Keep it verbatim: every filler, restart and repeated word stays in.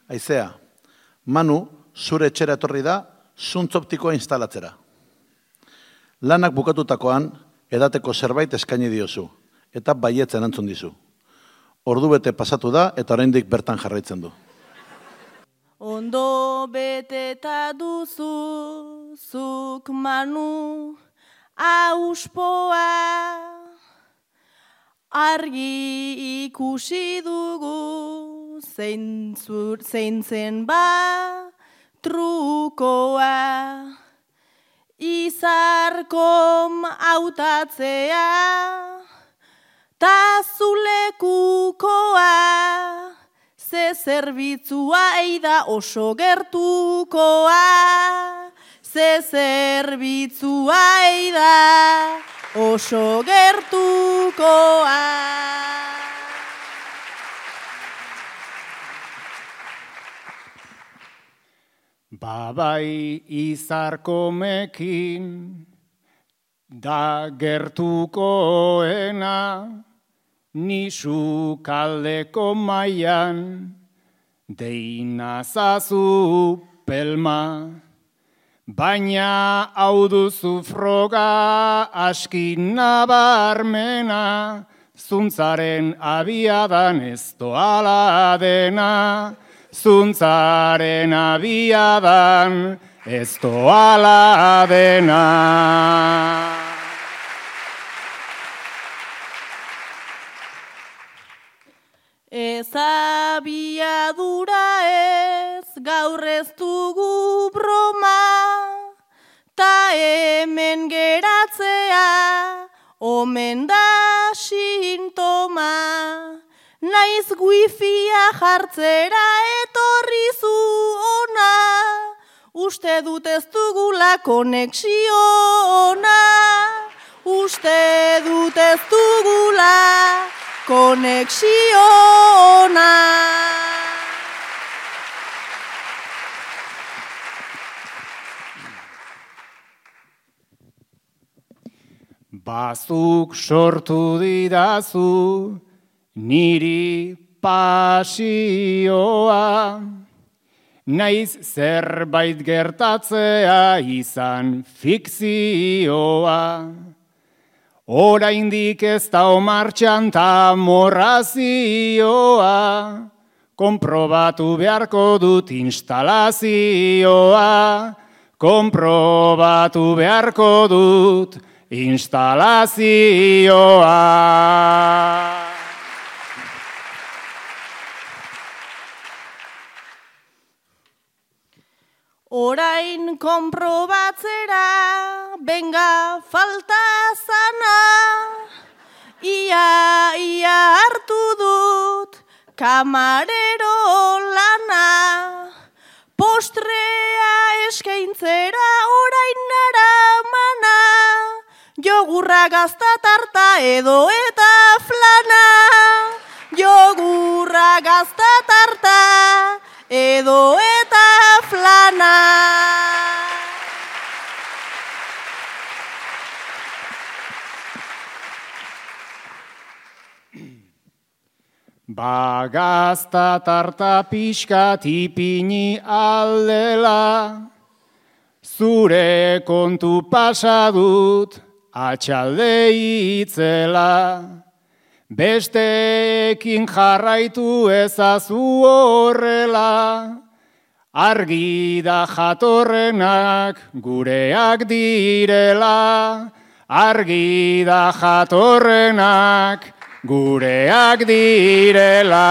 Aizea, Manu, zure etxera etorri da, zuntz optikoa instalatzera. Lanak bukatutakoan, edateko zerbait eskaini diozu, eta baietzen antzun dizu. Ordu bete pasatu da, eta oraindik bertan jarraitzen du. Ondo beteta duzu, zuk Manu, auspoa, argi ikusi dugu, zein, zur, zein zen ba, trukoa, izarkom hautatzea, ta zulekukoa, ze zerbitzua eida oso gertukoa, ze zerbitzua eida oso gertukoa. Babai izarkomekin da gertukoena, nisu kaldeko maian deinazazu pelma. Baina hau duzu froga askin nabarmena, zuntzaren abiadan ez doala dena, zuntzaren abiadan ez doala dena. Ez abiadura ez, gaur ez dugu broma, ta hemen geratzea, omen da sintoma. Naiz wifia jartzera etorri zu ona, uste dut ez dugula konexio ona, uste dut ez dugula konexio ona. Bazuk sortu didazu niri pasioa, naiz zerbait gertatzea izan fikzioa. Oraindik ez da martxan ta morrazioa, konprobatu beharko dut instalazioa, konprobatu beharko dut instalazioa. Orain konprobatzera, benga falta zana, ia, ia hartu dut kamarero lana, postrea eskaintzera orain naramana, jogurra gazta tarta edo eta flana, jogurra gazta tarta edo eta flana. Bagazta tarta pixka tipini aldela, zure kontu pasadut atxalde itzela. Besteekin jarraitu ezazu horrela, argi da jatorrenak gureak direla, argi da jatorrenak gureak direla.